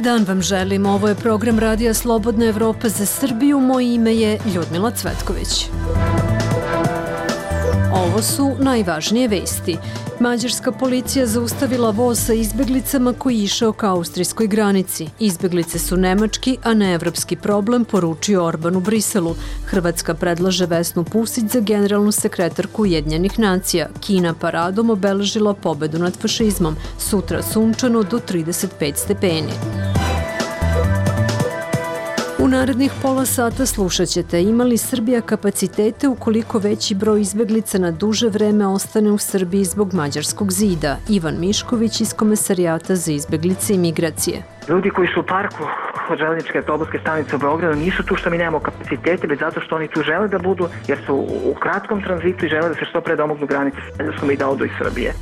dan vam želim. Ovo je program Radija Slobodna Evropa za Srbiju. Moje ime je Ljudmila Cvetković. Ovo su najvažnije vesti. Mađarska policija zaustavila voz sa izbeglicama koji je išao ka austrijskoj granici. Izbeglice su nemački, a ne evropski problem, poručio Orban u Briselu. Hrvatska predlaže Vesnu Pusić za generalnu sekretarku Ujedinjenih nacija. Kina paradom obeležila pobedu nad fašizmom. Sutra sunčano do 35 stepeni. U narednih pola sata slušat ćete ima li Srbija kapacitete ukoliko veći broj izbeglica na duže vreme ostane u Srbiji zbog Mađarskog zida. Ivan Mišković iz Komesarijata za izbeglice i migracije. Ljudi koji su u parku od železničke autobuske stanice u Beogradu nisu tu što mi nemamo kapacitete, već zato što oni tu žele da budu, jer su u kratkom tranzitu i žele da se što pre domognu granice s Mađarskom i da odu iz Srbije.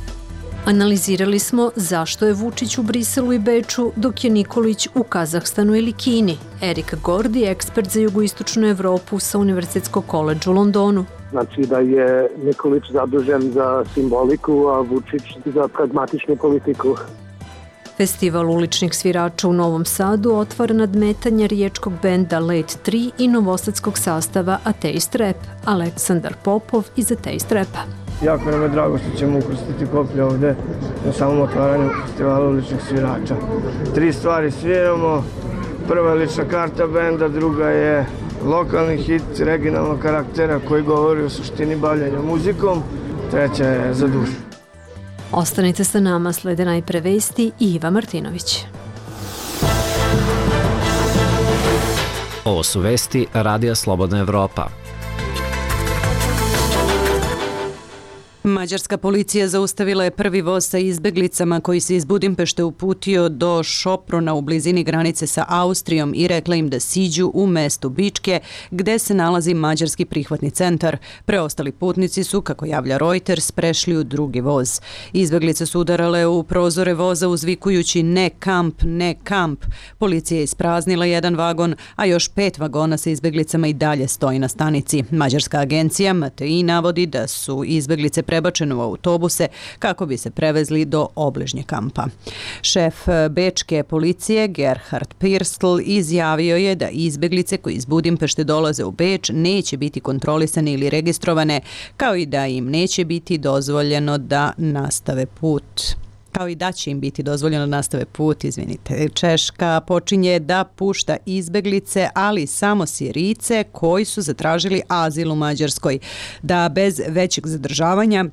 Analizirali smo zašto je Vučić u Briselu i Beču, dok je Nikolić u Kazahstanu ili Kini. Erik Gordi, ekspert za jugoistočnu Evropu sa Univerzitetskog koledža u Londonu. Znači da je Nikolić zadužen za simboliku, a Vučić za pragmatičnu politiku. Festival uličnih svirača u Novom Sadu otvara nadmetanja riječkog benda Late 3 i novosadskog sastava Ateist Rap. Aleksandar Popov iz Ateist Rapa. Jako nam je drago što ćemo ukrstiti koplje ovde na samom otvaranju festivala uličnih svirača. 3 stvari sviramo. Prva je lična karta benda, druga je lokalni hit regionalnog karaktera koji govori o suštini bavljenja muzikom, treća je za dušu. Ostanite sa nama, slede najpre vesti i Iva Martinović. Ovo su vesti Radija Slobodna Evropa. Mađarska policija zaustavila je prvi voz sa izbeglicama koji se iz Budimpešte uputio do Šoprona u blizini granice sa Austrijom i rekla im da siđu u mestu Bičke gde se nalazi mađarski prihvatni centar. Preostali putnici su, kako javlja Reuters, prešli u drugi voz. Izbeglice su udarale u prozore voza uzvikujući ne kamp, ne kamp. Policija je ispraznila jedan vagon, a još 5 vagona sa izbeglicama i dalje stoji na stanici. Mađarska agencija Matei navodi da su izbeglice prebačene u autobuse kako bi se prevezli do obližnje kampa. Šef bečke policije Gerhard Pirstl izjavio je da izbeglice koji iz Budimpešte dolaze u Beč neće biti kontrolisane ili registrovane, kao i da im neće biti dozvoljeno da nastave put. Češka počinje da pušta izbeglice, ali samo Sirijce koji su zatražili azil u Mađarskoj, da bez većeg zadržavanja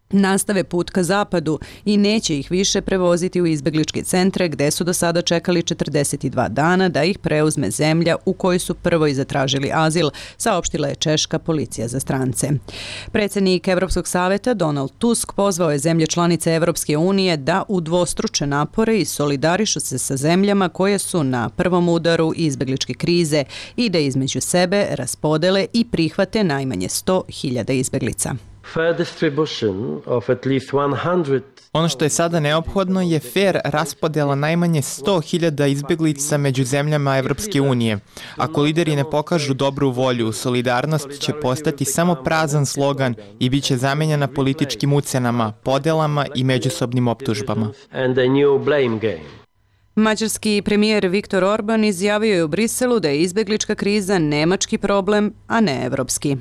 nastave put ka zapadu i neće ih više prevoziti u izbegličke centre gde su do sada čekali 42 dana da ih preuzme zemlja u kojoj su prvo i zatražili azil, saopštila je češka policija za strance. Predsjednik Evropskog saveta Donald Tusk pozvao je zemlje članice Evropske unije da udvostruče napore i solidarišu se sa zemljama koje su na prvom udaru izbegličke krize i da između sebe raspodele i prihvate najmanje 100.000 izbeglica. Ono što je sada neophodno je fair raspodela najmanje 100.000 izbeglica među zemljama Evropske unije. Ako lideri ne pokažu dobru volju, solidarnost će postati samo prazan slogan i bit će zamenjena političkim ucenama, podelama i međusobnim optužbama. Mađarski premijer Viktor Orban izjavio je u Briselu da je izbeglička kriza nemački problem, a ne evropski.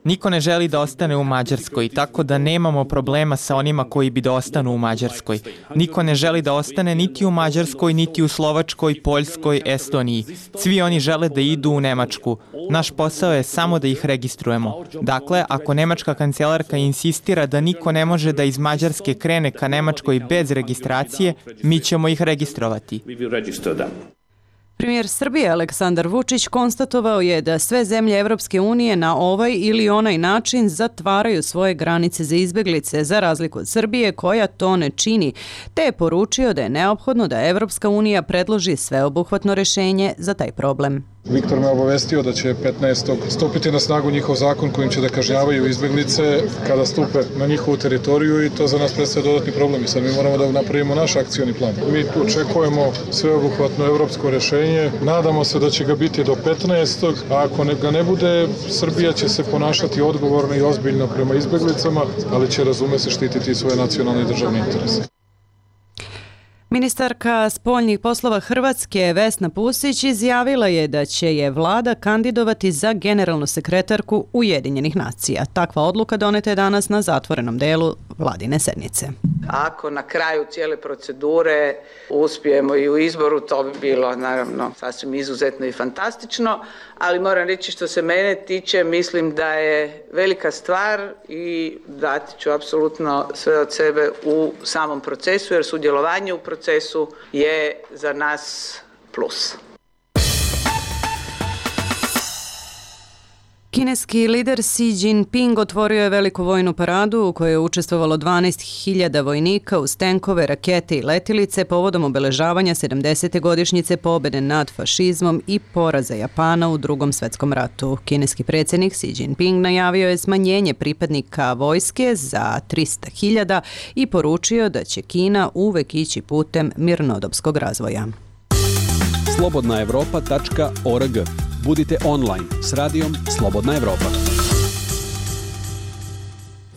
Niko ne želi da ostane u Mađarskoj, tako da nemamo problema sa onima koji bi da ostanu u Mađarskoj. Niko ne želi da ostane niti u Mađarskoj, niti u Slovačkoj, Poljskoj, Estoniji. Svi oni žele da idu u Nemačku. Naš posao je samo da ih registrujemo. Dakle, ako nemačka kancelarka insistira da niko ne može da iz Mađarske krene ka Nemačkoj bez registracije, mi ćemo ih registrovati. Premijer Srbije Aleksandar Vučić konstatovao je da sve zemlje Evropske unije na ovaj ili onaj način zatvaraju svoje granice za izbeglice, za razliku od Srbije koja to ne čini, te je poručio da je neophodno da Evropska unija predloži sveobuhvatno rešenje za taj problem. Viktor me obavestio da će 15. stupiti na snagu njihov zakon kojim će da kažnjavaju izbeglice kada stupe na njihovu teritoriju i to za nas predstavlja dodatni problem i sad mi moramo da napravimo naš akcioni plan. Mi tu očekujemo sveobuhvatno evropsko rešenje, nadamo se da će ga biti do 15. a ako ga ne bude, Srbija će se ponašati odgovorno i ozbiljno prema izbeglicama, ali će razume se štititi svoje nacionalne i državne interese. Ministarka spoljnih poslova Hrvatske Vesna Pusić izjavila je da će je vlada kandidovati za generalnu sekretarku Ujedinjenih nacija. Takva odluka doneta je danas na zatvorenom delu vladine sednice. Ako na kraju cijele procedure uspijemo i u izboru, to bi bilo naravno sasvim izuzetno i fantastično, ali moram reći što se mene tiče, mislim da je velika stvar i dati ću apsolutno sve od sebe u samom procesu, jer sudjelovanje u procesu je za nas plus. Kineski lider Xi Jinping otvorio je veliku vojnu paradu u kojoj je učestvovalo 12.000 vojnika uz tenkove, rakete i letilice povodom obeležavanja 70. godišnjice pobjede nad fašizmom i poraza Japana u Drugom svjetskom ratu. Kineski predsjednik Xi Jinping najavio je smanjenje pripadnika vojske za 300.000 i poručio da će Kina uvek ići putem mirnodopskog razvoja. slobodnaevropa.org. Budite online s radijom Slobodna Evropa.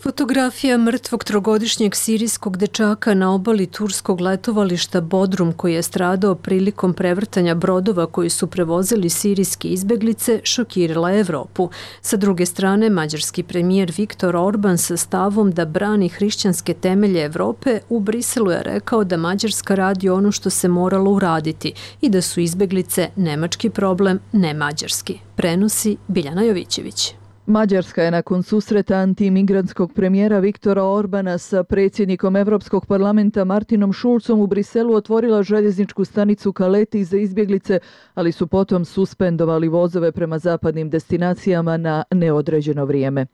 Fotografija mrtvog trogodišnjeg sirijskog dečaka na obali turskog letovališta Bodrum koji je stradao prilikom prevrtanja brodova koji su prevozili sirijske izbeglice šokirala je Evropu. Sa druge strane, mađarski premijer Viktor Orban sa stavom da brani hrišćanske temelje Evrope u Briselu je rekao da Mađarska radi ono što se moralo uraditi i da su izbeglice nemački problem, ne mađarski. Prenosi Biljana Jovićević. Mađarska je nakon susreta antimigrantskog premijera Viktora Orbana sa predsjednikom Evropskog parlamenta Martinom Schulzom u Briselu otvorila željezničku stanicu Kaleti za izbjeglice, ali su potom suspendovali vozove prema zapadnim destinacijama na neodređeno vrijeme.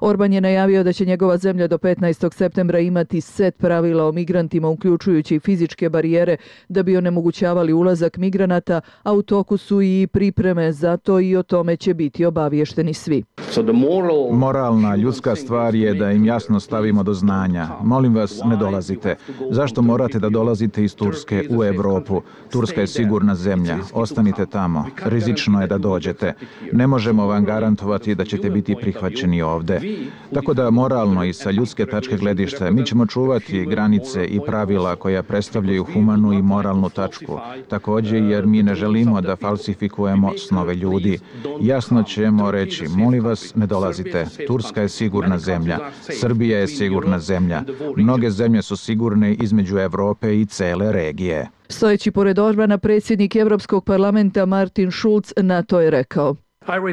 Orban je najavio da će njegova zemlja do 15. septembra imati set pravila o migrantima, uključujući fizičke barijere, da bi onemogućavali ulazak migranata, a u toku su i pripreme za to i o tome će biti obaviješteni svi. Moralna, ljudska stvar je da im jasno stavimo do znanja. Molim vas, ne dolazite. Zašto morate da dolazite iz Turske u Evropu? Turska je sigurna zemlja. Ostanite tamo. Rizično je da dođete. Ne možemo vam garantovati da ćete biti prihvaćeni ovde. Tako da moralno i sa ljudske tačke gledišta mi ćemo čuvati granice i pravila koja predstavljaju humanu i moralnu tačku. Također jer mi ne želimo da falsifikujemo snove ljudi. Jasno ćemo reći, molim vas, ne dolazite. Turska je sigurna zemlja. Srbija je sigurna zemlja. Mnoge zemlje su sigurne između Evrope i cele regije. Stojeći pored Orbana, predsjednik Evropskog parlamenta Martin Schulz na to je rekao: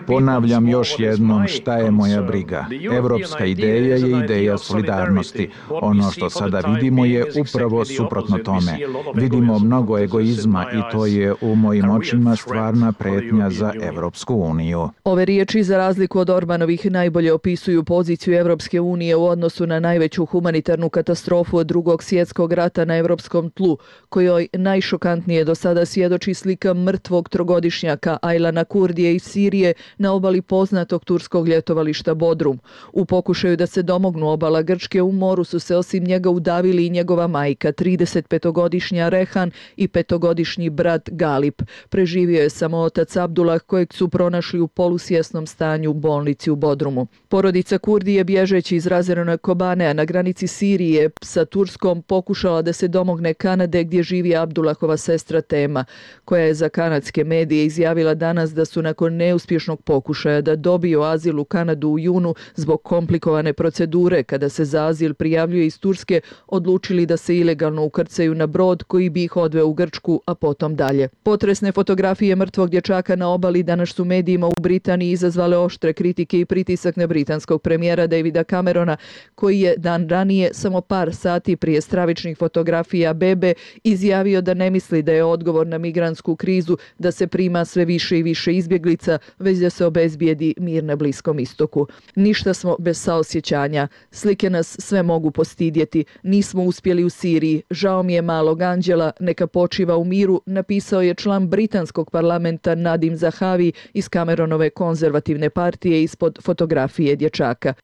Ponavljam još jednom šta je moja briga. Evropska ideja je ideja solidarnosti. Ono što sada vidimo je upravo suprotno tome. Vidimo mnogo egoizma i to je u mojim očima stvarna pretnja za Evropsku uniju. Ove riječi, za razliku od Orbanovih, najbolje opisuju poziciju Evropske unije u odnosu na najveću humanitarnu katastrofu od Drugog svjetskog rata na evropskom tlu, kojoj najšokantnije do sada svjedoči slika mrtvog trogodišnjaka Aylana Kurdije iz Sirije na obali poznatog turskog ljetovališta Bodrum. U pokušaju da se domognu obala Grčke u moru su se osim njega udavili i njegova majka, 35-godišnja Rehan i 5-godišnji brat Galip. Preživio je samo otac Abdullah, kojeg su pronašli u polusvjesnom stanju u bolnici u Bodrumu. Porodica Kurdi je bježeći iz razorene Kobanea na granici Sirije sa Turskom pokušala da se domogne Kanade, gdje živi Abdullahova sestra Tema, koja je za kanadske medije izjavila danas da su nakon neuspješnog pokušaja da dobiju azil u Kanadu u junu zbog komplikovane procedure kada se za azil prijavljuje iz Turske, odlučili da se ilegalno ukrcaju na brod koji bi ih odveo u Grčku, a potom dalje. Potresne fotografije mrtvog dječaka na obali danas su medijima u Britaniji izazvale oštre kritike i pritisak na britanskog premijera Davida Camerona, koji je dan ranije, samo par sati prije stravičnih fotografija bebe, izjavio da ne misli da je odgovor na migrantsku krizu da se prima sve više i više izbjeglica, već da se obezbijedi mir na Bliskom istoku. Ništa smo bez saosjećanja. Slike nas sve mogu postidjeti. Nismo uspjeli u Siriji. Žao mi je malog anđela. Neka počiva u miru, napisao je član britanskog parlamenta Nadim Zahavi iz Cameronove konzervativne partije ispod fotografije dječaka.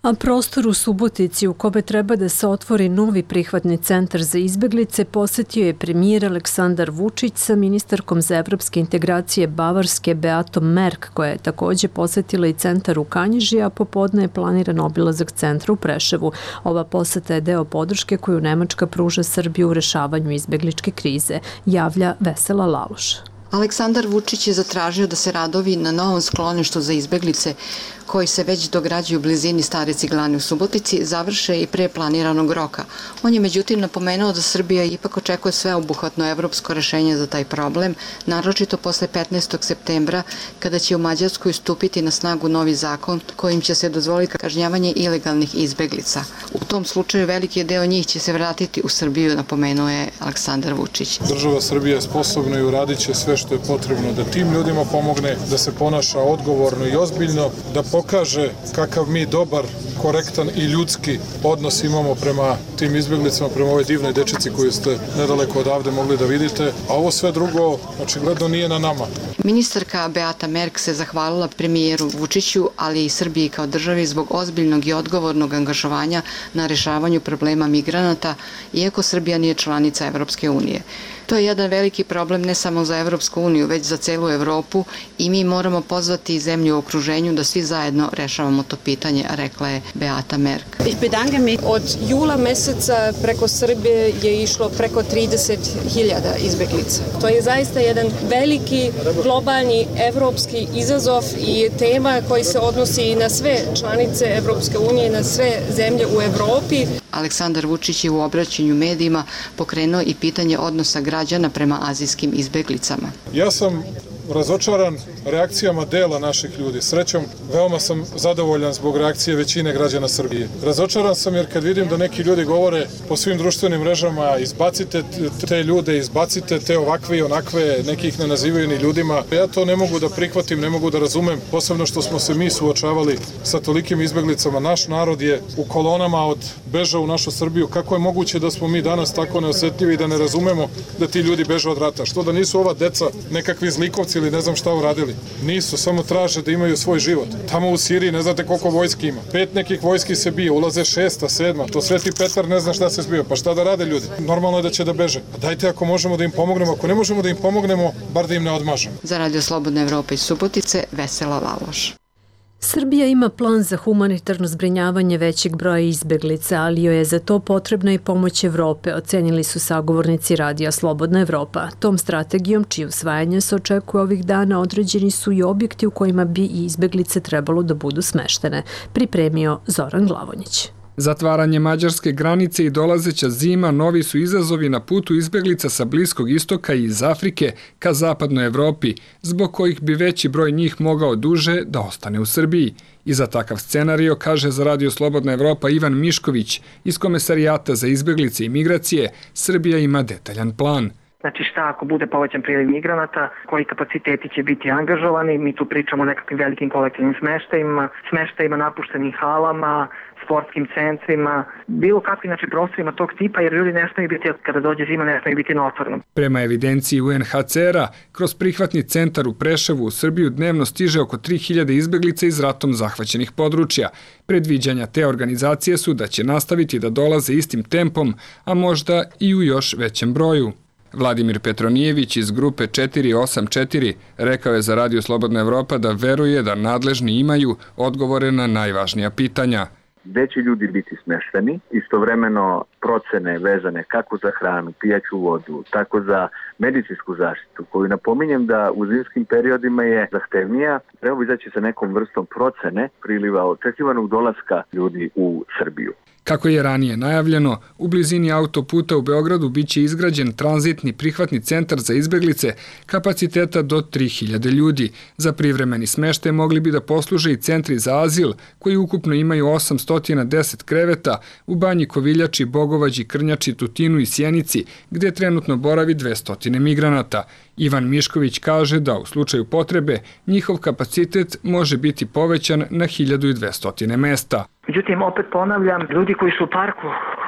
A prostor u Subotici u kome treba da se otvori novi prihvatni centar za izbeglice posetio je premijer Aleksandar Vučić sa ministarkom za evropske integracije Bavarske Beatom Merk, koja je također posetila i centar u Kanjiži, a popodne je planiran obilazak centra u Preševu. Ova poseta je deo podrške koju Nemačka pruža Srbiju u rešavanju izbegličke krize, javlja Vesela Laloš. Aleksandar Vučić je zatražio da se radovi na novom skloništu za izbeglice koji se već dograđuju u blizini Stare Ciglane u Subotici završe i pre planiranog roka. On je međutim napomenuo da Srbija ipak očekuje sveobuhvatno evropsko rešenje za taj problem, naročito posle 15. septembra kada će u Mađarskoj stupiti na snagu novi zakon kojim će se dozvoliti kažnjavanje ilegalnih izbeglica. U tom slučaju veliki deo njih će se vratiti u Srbiju, napomenuo je Aleksandar Vučić. Država Srbija je sposobna i uradit će sve što je potrebno da tim ljudima pomogne, da se ponaša odgovorno i ozbiljno, da pokaže kakav mi dobar, korektan i ljudski odnos imamo prema tim izbjeglicama, prema ovoj divnoj dečici koju ste nedaleko odavde mogli da vidite, a ovo sve drugo očigledno nije na nama. Ministarka Beata Merk se zahvalila premijeru Vučiću, ali i Srbiji kao državi zbog ozbiljnog i odgovornog angažovanja na rešavanju problema migranata, iako Srbija nije članica Evropske unije. To je jedan veliki problem ne samo za Evropsku uniju, već za celu Evropu i mi moramo pozvati zemlju u okruženju da svi zajedno rešavamo to pitanje, rekla je Beata Merk. Od jula meseca preko Srbije je išlo preko 30.000 izbeglica. To je zaista jedan veliki globalni evropski izazov i tema koji se odnosi na sve članice Evropske unije, na sve zemlje u Evropi. Aleksandar Vučić je u obraćanju medijima pokrenuo i pitanje odnosa građana prema azijskim izbeglicama. Ja sam razočaran reakcijama dela naših ljudi. Srećom, veoma sam zadovoljan zbog reakcije većine građana Srbije. Razočaran sam jer kad vidim da neki ljudi govore po svim društvenim mrežama izbacite te ljude, izbacite te ovakve i onakve, nekih ne nazivaju ni ljudima. Ja to ne mogu da prihvatim, ne mogu da razumem, posebno što smo se mi suočavali sa tolikim izbeglicama. Naš narod je u kolonama od beža u našu Srbiju. Kako je moguće da smo mi danas tako neosetljivi i da ne razumemo da ti ljudi beže od rata? Što da nisu ova deca nekakvi zlikovci ili ne znam šta uradili? Nisu, samo traže da imaju svoj život. Tamo u Siriji ne znate koliko vojski ima. 5 nekih vojski se bije, ulaze 6, 7, to Sveti Petar ne zna šta se zbio. Pa šta da rade ljudi? Normalno je da će da beže. Dajte ako možemo da im pomognemo, ako ne možemo da im pomognemo, bar da im ne odmažemo. Za Radio Slobodna Evropa iz Subotice, Vesela Laloš. Srbija ima plan za humanitarno zbrinjavanje većeg broja izbeglica, ali joj je za to potrebna i pomoć Evrope, ocenili su sagovornici Radija Slobodna Evropa. Tom strategijom, čije usvajanje se očekuje ovih dana, određeni su i objekti u kojima bi i izbeglice trebalo da budu smeštene, pripremio Zoran Glavonjić. Zatvaranje mađarske granice i dolazeća zima novi su izazovi na putu izbeglica sa Bliskog istoka i iz Afrike ka zapadnoj Evropi, zbog kojih bi veći broj njih mogao duže da ostane u Srbiji. I za takav scenario, kaže za Radio Slobodna Evropa Ivan Mišković iz Komesarijata za izbeglice i migracije, Srbija ima detaljan plan. Znači šta ako bude povećan priliv migranata, koji kapaciteti će biti angažovani, mi tu pričamo o nekakvim velikim kolektivnim smeštajima, napuštenim halama, sportskim centrima, bilo kakvim prostorima tog tipa, jer ljudi ne smiju biti, kada dođe zima, ne smiju biti na otvorenom. Prema evidenciji UNHCR-a, kroz prihvatni centar u Preševu u Srbiju dnevno stiže oko 3000 izbeglica iz ratom zahvaćenih područja. Predviđanja te organizacije su da će nastaviti da dolaze istim tempom, a možda i u još većem broju. Vladimir Petronijević iz grupe 484 rekao je za Radio Slobodna Evropa da veruje da nadležni imaju odgovore na najvažnija pitanja. Gde će ljudi biti smešteni, istovremeno procene vezane kako za hranu, pijaću vodu, tako za medicinsku zaštitu, koju napominjem da u zimskim periodima je zahtevnija, treba izaći sa nekom vrstom procene priliva očekivanog dolaska ljudi u Srbiju. Kako je ranije najavljeno, u blizini autoputa u Beogradu biće izgrađen tranzitni prihvatni centar za izbeglice kapaciteta do 3000 ljudi. Za privremeni smeštaj mogli bi da posluže i centri za azil, koji ukupno imaju 810 kreveta u Banji Koviljači, Bogovađi, Krnjači, Tutinu i Sjenici, gde trenutno boravi 200 migranata. Ivan Mišković kaže da u slučaju potrebe njihov kapacitet može biti povećan na 1200 mesta. Međutim, opet ponavljam, ljudi koji su u parku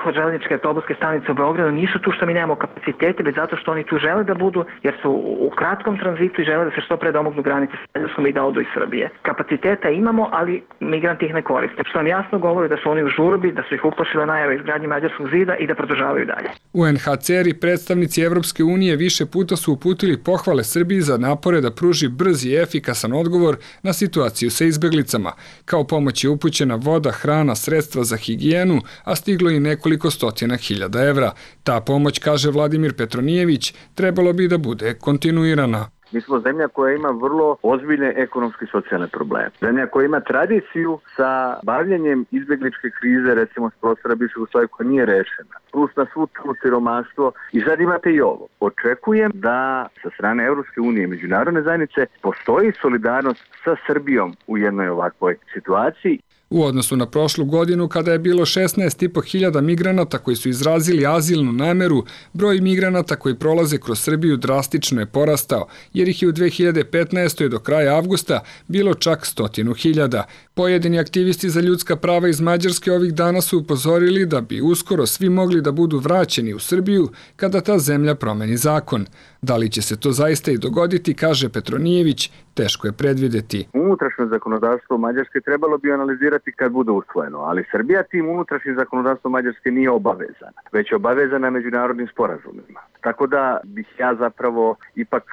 od železničke autobuske stanice u Beogradu nisu tu što mi nemamo kapacitete, već zato što oni tu žele da budu, jer su u kratkom tranzitu i žele da se što pre domognu granice s Mađarskom i da odu iz Srbije. Kapaciteta imamo, ali migranti ih ne koriste. Što nam jasno govori da su oni u žurbi, da su ih uplašile najave izgradnje Mađarskog zida i da produžavaju dalje. UNHCR i predstavnici Evropske unije više puta su uputili pohvale Srbiji za napore da pruži brz i efikasan odgovor na situaciju sa izbeglicama. Kao pomoć je upućena voda, hrana, sredstva za higijenu, a stiglo i nekoliko stotina hiljada evra. Ta pomoć, kaže Vladimir Petronijević, trebalo bi da bude kontinuirana. Mi smo zemlja koja ima vrlo ozbiljne ekonomske i socijalne probleme. Zemlja koja ima tradiciju sa bavljenjem izbegličke krize, recimo s prostora bivšeg Jugoslavije, koja nije rešena. Plus na svu tu siromaštvo. I sad imate i ovo. Očekujem da sa strane Evropske unije i međunarodne zajednice postoji solidarnost sa Srbijom u jednoj ovakvoj situaciji. U odnosu na prošlu godinu, kada je bilo 16.500 migranata koji su izrazili azilnu nameru, broj migranata koji prolaze kroz Srbiju drastično je porastao, jer ih je u 2015. do kraja avgusta bilo čak 100.000. Pojedini aktivisti za ljudska prava iz Mađarske ovih dana su upozorili da bi uskoro svi mogli da budu vraćeni u Srbiju kada ta zemlja promeni zakon. Da li će se to zaista i dogoditi, kaže Petronijević, teško je predvideti. Unutrašnje zakonodavstvo Mađarske trebalo bi analizirati kad bude usvojeno, ali Srbija tim unutrašnjim zakonodavstvom Mađarske nije obavezana, već je obavezana međunarodnim sporazumima. Tako da bih ja zapravo ipak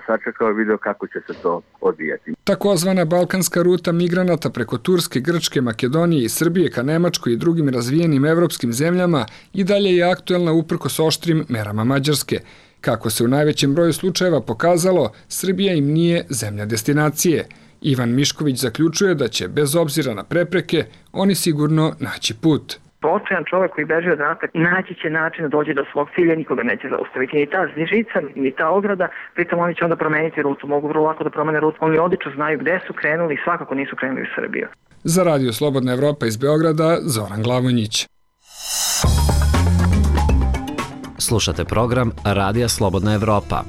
sačekao i video kako će se to odvijati. Takozvana balkanska ruta migranata preko Turske, Grčke, Makedonije i Srbije ka Nemačkoj i drugim razvijenim evropskim zemljama i dalje je aktuelna uprkos oštrim merama Mađarske. Kako se u najvećem broju slučajeva pokazalo, Srbija im nije zemlja destinacije. Ivan Mišković zaključuje da će, bez obzira na prepreke, oni sigurno naći put. Očajan čovjek koji beži od rata naći će način da dođe do svog cilja, nikoga neće zaustaviti. Ni ta žica, ni ta ograda, pritom oni će onda promeniti rutu, mogu vrlo lako da promene rutu. Oni odlično znaju gde su krenuli i svakako nisu krenuli u Srbiju. Za Radio Slobodna Evropa iz Beograda, Zoran Glavonjić. Slušate program Radija Slobodna Evropa.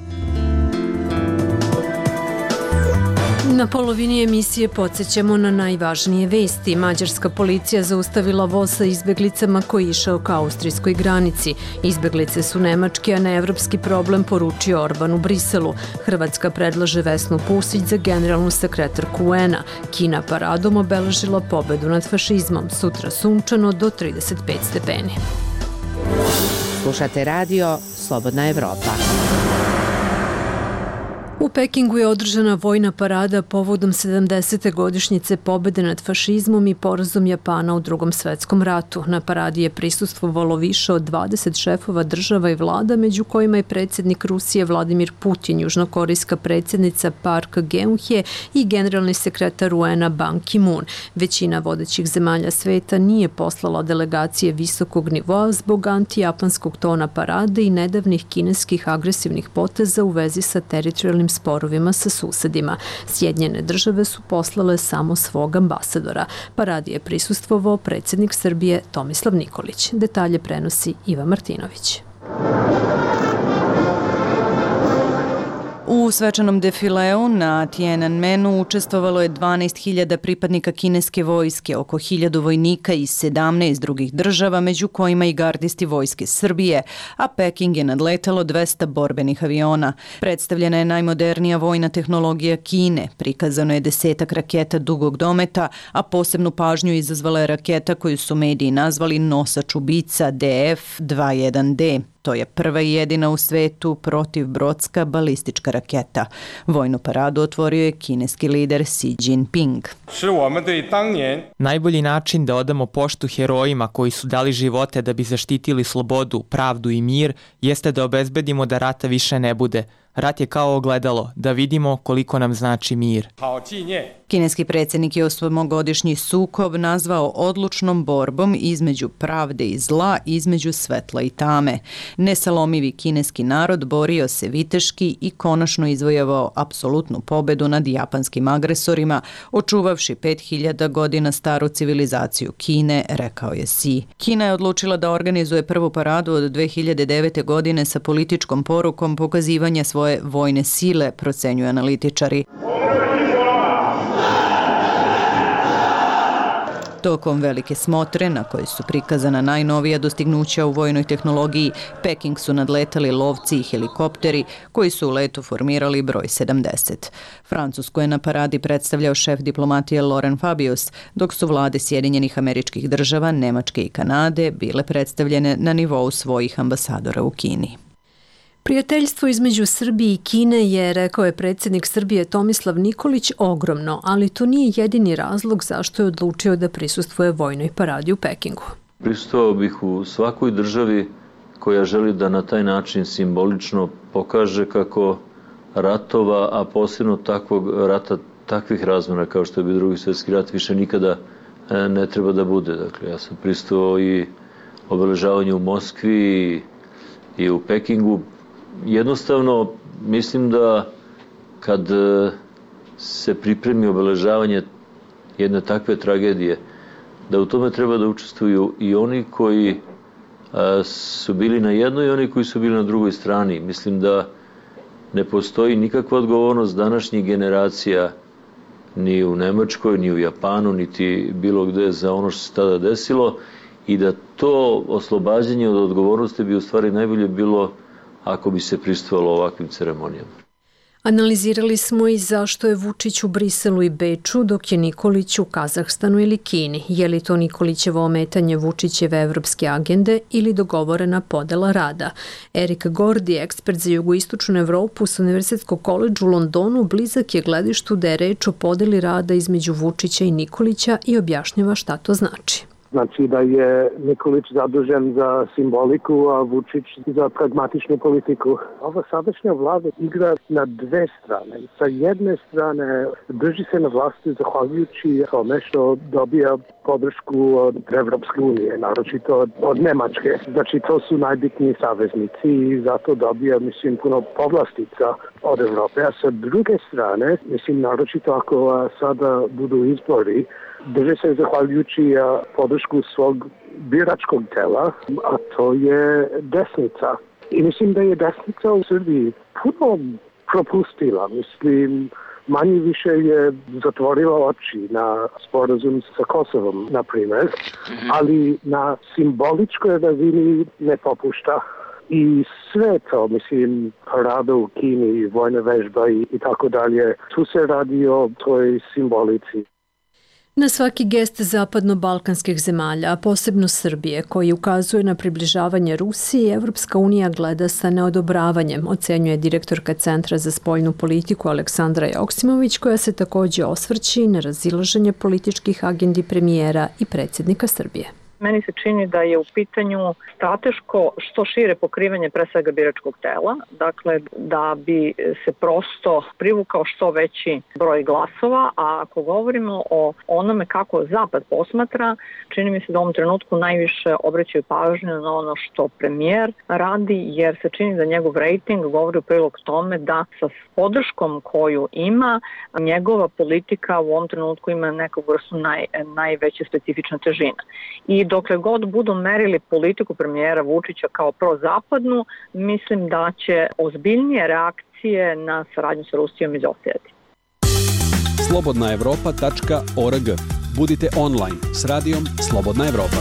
Na polovini emisije podsjećamo na najvažnije vesti. Mađarska policija zaustavila voz sa izbeglicama koji je išao ka austrijskoj granici. Izbeglice su nemački, a ne evropski problem, poručio Orban u Briselu. Hrvatska predlaže Vesnu Pusić za generalnu sekretarku UN-a. Kina paradom obeležila pobedu nad fašizmom. Sutra sunčano do 35 stepeni. Slušate radio Slobodna Evropa. U Pekingu je održana vojna parada povodom 70. godišnjice pobede nad fašizmom i porazom Japana u Drugom svetskom ratu. Na paradi je prisustvovalo više od 20 šefova država i vlada, među kojima je predsjednik Rusije Vladimir Putin, južnokorejska predsjednica Park Geun-hye i generalni sekretar UN-a Ban Ki-moon. Većina vodećih zemalja sveta nije poslala delegacije visokog nivoa zbog antijapanskog tona parade i nedavnih kineskih agresivnih poteza u vezi sa teritorijalnim sporovima sa susedima. Sjedinjene države su poslale samo svog ambasadora. Paradi je prisustvovao predsjednik Srbije Tomislav Nikolić. Detalje prenosi Iva Martinović. U svečanom defileu na Tiananmenu učestvovalo je 12.000 pripadnika kineske vojske, oko 1.000 vojnika iz 17 drugih država, među kojima i gardisti vojske Srbije, a Peking je nadletalo 200 borbenih aviona. Predstavljena je najmodernija vojna tehnologija Kine, prikazano je 10 raketa dugog dometa, a posebnu pažnju izazvala je raketa koju su mediji nazvali nosač ubica DF-21D. To je prva i jedina u svetu protivbrodska balistička raketa. Vojnu paradu otvorio je kineski lider Xi Jinping. Najbolji način da odamo poštu herojima koji su dali živote da bi zaštitili slobodu, pravdu i mir jeste da obezbedimo da rata više ne bude. Rat je kao ogledalo, da vidimo koliko nam znači mir. Kineski predsjednik je osmogodišnji sukob nazvao odlučnom borbom između pravde i zla, između svetla i tame. Nesalomivi kineski narod borio se viteški i konačno izvojevao apsolutnu pobedu nad japanskim agresorima, očuvavši 5000 godina staru civilizaciju Kine, rekao je Xi. Kina je odlučila da organizuje prvu paradu od 2009. godine sa političkom porukom pokazivanja svoje vojne sile, procenjuju analitičari. Tokom velike smotre, na kojoj su prikazana najnovija dostignuća u vojnoj tehnologiji, Peking su nadletali lovci i helikopteri koji su u letu formirali broj 70. Francusku je na paradi predstavljao šef diplomatije Laurent Fabius, dok su vlade Sjedinjenih Američkih Država, Nemačke i Kanade bile predstavljene na nivou svojih ambasadora u Kini. Prijateljstvo između Srbije i Kine je, rekao je predsjednik Srbije Tomislav Nikolić, ogromno, ali to nije jedini razlog zašto je odlučio da prisustvuje vojnoj paradi u Pekingu. Prisustvovao bih u svakoj državi koja želi da na taj način simbolično pokaže kako ratova, a posebno takvih razmjera kao što je bio Drugi svjetski rat, više nikada ne treba da bude. Dakle, ja sam prisustvovao i obeležavanju u Moskvi i u Pekingu. Jednostavno, mislim da kad se pripremi obeležavanje jedne takve tragedije, da u tome treba da učestvuju i oni koji su bili na jednoj i oni koji su bili na drugoj strani. Mislim da ne postoji nikakva odgovornost današnjih generacija ni u Nemačkoj, ni u Japanu, niti bilo gde za ono što se tada desilo i da to oslobađanje od odgovornosti bi u stvari najbolje bilo ako bi se prisustvovalo ovakvim ceremonijama. Analizirali smo i zašto je Vučić u Briselu i Beču, dok je Nikolić u Kazahstanu ili Kini. Je li to Nikolićevo ometanje Vučićeve evropske agende ili dogovorena podela rada? Erik Gordi, ekspert za jugoistočnu Evropu s Univerzitetskog koledža u Londonu, blizak je gledištu da je reč o podeli rada između Vučića i Nikolića i objašnjava šta to znači. Znači da je Nikolić zadužen za simboliku, a Vučić za pragmatičnu politiku. Ova sadašnja vlada igra na dve strane. Sa jedne strane drži se na vlasti zahvaljujući tome što dobija podršku od Evropske unije, naročito od Nemačke. Znači to su najbitniji saveznici i zato dobija, mislim, puno povlastica od Evrope. A sa druge strane, mislim, naročito ako sada budu izbori, drže se zahvaljujući podršku svog biračkog tela, a to je desnica. I mislim da je desnica u Srbiji puno propustila. Mislim, manje više je zatvorila oči na sporazum sa Kosovom, na primjer, ali na simboličkoj razini ne popušta. I sve to, mislim, parada u Kini, vojna vežba i tako dalje, tu se radi o toj simbolici. Na svaki gest zapadno-balkanskih zemalja, a posebno Srbije, koji ukazuje na približavanje Rusiji, Evropska unija gleda sa neodobravanjem, ocenjuje direktorka Centra za spoljnu politiku Aleksandra Joksimović, koja se također osvrći na razilaženje političkih agendi premijera i predsjednika Srbije. Meni se čini da je u pitanju strateško što šire pokrivanje pre svega biračkog tela, dakle da bi se prosto privukao što veći broj glasova, a ako govorimo o onome kako Zapad posmatra, čini mi se da u ovom trenutku najviše obraćaju pažnju na ono što premijer radi, jer se čini da njegov rejting govori u prilog tome da sa podrškom koju ima, njegova politika u ovom trenutku ima neku vrstu najveće specifične težine. I dokle god budu merili politiku premijera Vučića kao prozapadnu, mislim da će ozbiljnije reakcije na saradnju sa Rusijom izostajati. slobodnaevropa.org. Budite online s radijom Slobodna Evropa.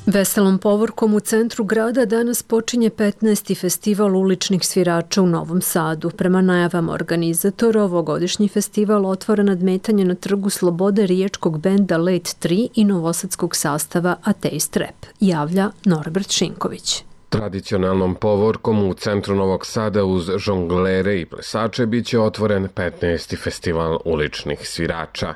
Veselom povorkom u centru grada danas počinje 15. festival uličnih svirača u Novom Sadu. Prema najavama organizatora, ovogodišnji festival otvara nadmetanje na Trgu Slobode riječkog benda Late 3 i novosadskog sastava Ateist Rap, javlja Norbert Šinković. Tradicionalnom povorkom u centru Novog Sada uz žonglere i plesače biće otvoren 15. festival uličnih svirača.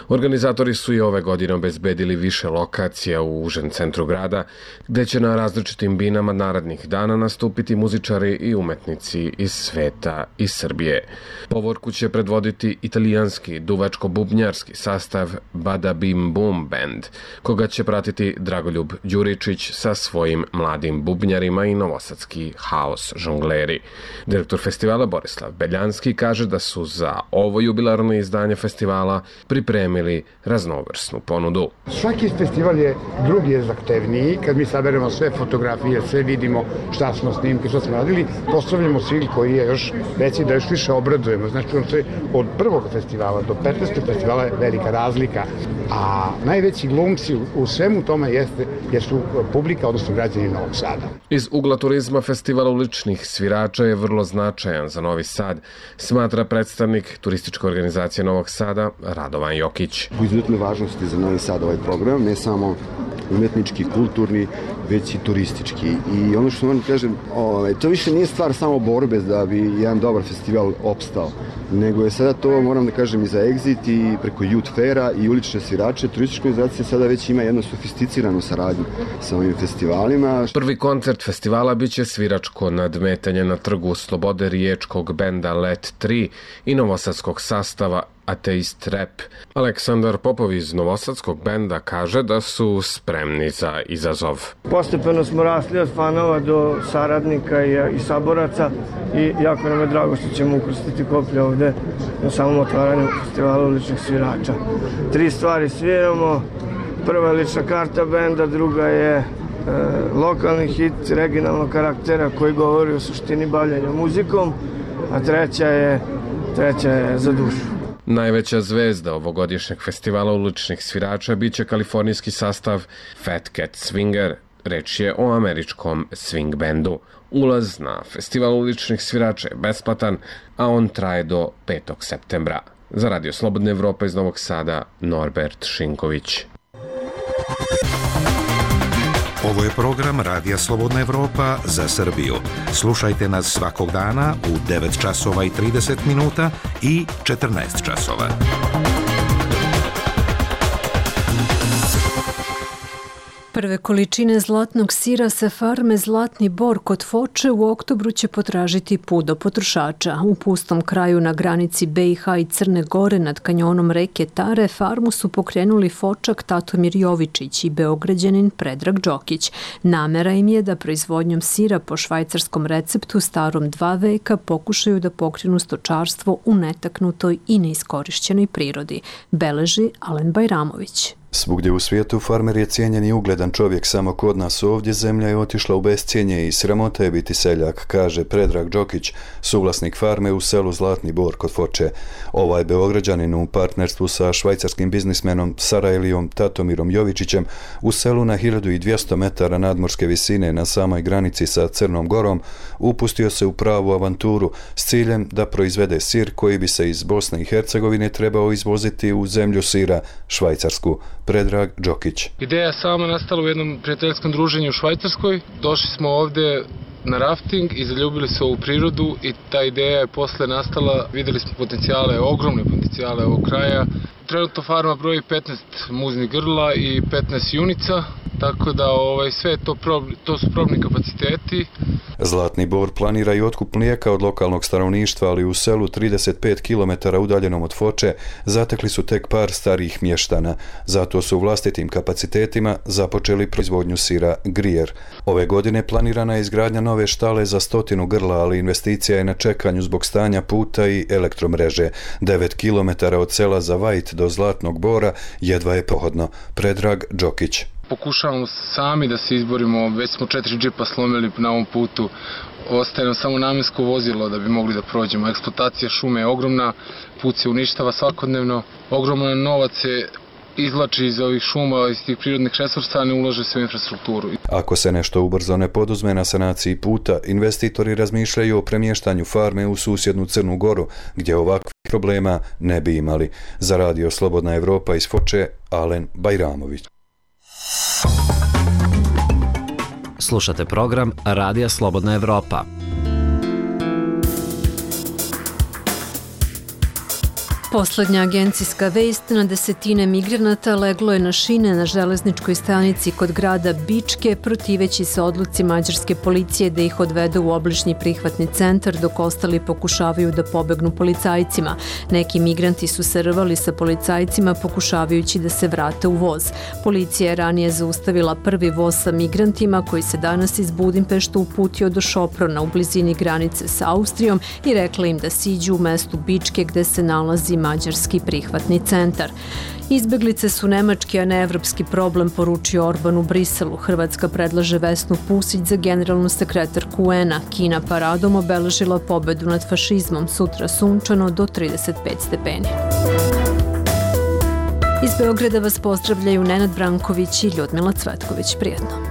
Organizatori su i ove godine obezbedili više lokacija u užem centru grada, gde će na različitim binama narednih dana nastupiti muzičari i umetnici iz sveta i Srbije. Povorku će predvoditi italijanski duvačko-bubnjarski sastav Bada Bim Bum Band, koga će pratiti Dragoljub Đuričić sa svojim mladim bubnjarima swingerima i novosadski haos žongleri. Direktor festivala Borislav Beljanski kaže da su za ovo jubilarno izdanje festivala pripremili raznovrsnu ponudu. Svaki festival je drugi je zahtevniji. Kad mi saberemo sve fotografije, sve vidimo šta smo snimke, šta smo radili, postavljamo cilj koji je još veći da još više obradujemo. Znači, od prvog festivala do 15. festivala je velika razlika, a najveći glumci u svemu tome jesu publika, odnosno građani Novog Sada. Iz ugla turizma festival uličnih svirača je vrlo značajan za Novi Sad, smatra predstavnik turističke organizacije Novog Sada Radovan Jokić. U izuzetnoj važnosti za Novi Sad ovaj program, ne samo umetnički, kulturni, već i turistički. I ono što moram kažem, to više nije stvar samo borbe da bi jedan dobar festival opstao, nego je sada to, moram da kažem, i za Exit i preko Youth Faira i ulične svirače. Turistička organizacija sada već ima jednu sofisticiranu saradnju sa ovim festivalima. Prvi koncert festivala biće sviračko nadmetanje na trgu Slobode riječkog benda Let 3 i novosadskog sastava Ateist Rap. Aleksandar Popov iz novosadskog benda kaže da su spremni za izazov. Postepeno smo rasli od fanova do saradnika i saboraca i jako nam je drago što ćemo ukrstiti koplje ovde na samom otvaranju festivala uličnih svirača. 3 stvari sviramo. Prva je lična karta benda, druga je lokalni hit regionalnog karaktera koji govori o suštini bavljenja muzikom, a treća je Za dušu. Najveća zvezda ovogodišnjeg festivala uličnih svirača biće kalifornijski sastav Fat Cat Swinger. Reč je o američkom swing bendu. Ulaz na festival uličnih svirača je besplatan, a on traje do 5. septembra. Za Radio Slobodna Evropa iz Novog Sada, Norbert Šinković. Ovo je program Radija Slobodna Evropa za Srbiju. Slušajte nas svakog dana u 9 časova i 30 minuta i 14 časova. Prve količine zlatnog sira sa farme Zlatni Bor kod Foče u oktobru će potražiti put do potrošača. U pustom kraju na granici BiH i Crne Gore nad kanjonom reke Tare farmu su pokrenuli Fočak Tatomir Jovičić i Beograđanin Predrag Đokić. Namera im je da proizvodnjom sira po švajcarskom receptu starom 2 veka pokušaju da pokrenu stočarstvo u netaknutoj i neiskorišćenoj prirodi, beleži Alen Bajramović. Svugdje u svijetu farmer je cijenjen i ugledan čovjek, samo kod nas ovdje zemlja je otišla u bescijenje i sramota je biti seljak, kaže Predrag Đokić, suvlasnik farme u selu Zlatni Bor kod Foče. Ovaj Beograđanin u partnerstvu sa švajcarskim biznismenom Sarajlijom Tatomirom Jovičićem u selu na 1200 metara nadmorske visine na samoj granici sa Crnom Gorom upustio se u pravu avanturu s ciljem da proizvede sir koji bi se iz Bosne i Hercegovine trebao izvoziti u zemlju sira, Švajcarsku. Predrag Đokić. Ideja sama nastala u jednom prijateljskom druženju u Švajcarskoj. Došli smo ovde na rafting i zaljubili se u prirodu i ta ideja je posle nastala. Videli smo potencijale, ogromne potencijale ovog kraja. Trenutno farma broji 15 muznih grla i 15 junica, tako da sve to su probni kapaciteti. Zlatni Bor planira i otkup mlijeka od lokalnog stanovništva, ali u selu 35 km udaljenom od Foče zatekli su tek par starijih mještana. Zato su u vlastitim kapacitetima započeli proizvodnju sira Grijer. Ove godine planirana je izgradnja nove štale za 100 grla, ali investicija je na čekanju zbog stanja puta i elektromreže. 9 km od sela Zavajt do Zlatnog Bora jedva je pohodno. Predrag Đokić. Pokušavamo sami da se izborimo, već smo 4 džipa slomili na ovom putu, ostaje nam samo namensko vozilo da bi mogli da prođemo. Eksploatacija šume je ogromna, put se uništava svakodnevno, ogroman novac se izvlači iz ovih šuma, iz tih prirodnih resursa, a ne ulaže se u infrastrukturu. Ako se nešto ubrzo ne poduzme na sanaciji puta, investitori razmišljaju o premještanju farme u susjednu Crnu Goru, gdje ovakvih problema ne bi imali. Za Radio Slobodna Evropa iz Foče, Alen Bajramović. Slušate program Radija Slobodna Evropa. Poslednja agencijska vest, na desetine migranata leglo je na šine na železničkoj stanici kod grada Bičke, protiveći se odluci mađarske policije da ih odvede u obližnji prihvatni centar, dok ostali pokušavaju da pobegnu policajcima. Neki migranti su se rvali sa policajcima pokušavajući da se vrate u voz. Policija je ranije zaustavila prvi voz sa migrantima koji se danas iz Budimpešta uputio do Šoprona u blizini granice sa Austrijom i rekla im da siđu u mestu Bičke gde se nalazi mađarski prihvatni centar. Izbeglice su nemački, a ne evropski problem, poručio Orban u Briselu. Hrvatska predlaže Vesnu Pusić za generalnu sekretarku UN-a. Kina paradom obeležila pobedu nad fašizmom. Sutra sunčano do 35 stepeni. Iz Beograda vas pozdravljaju Nenad Branković i Ljudmila Cvetković. Prijetno.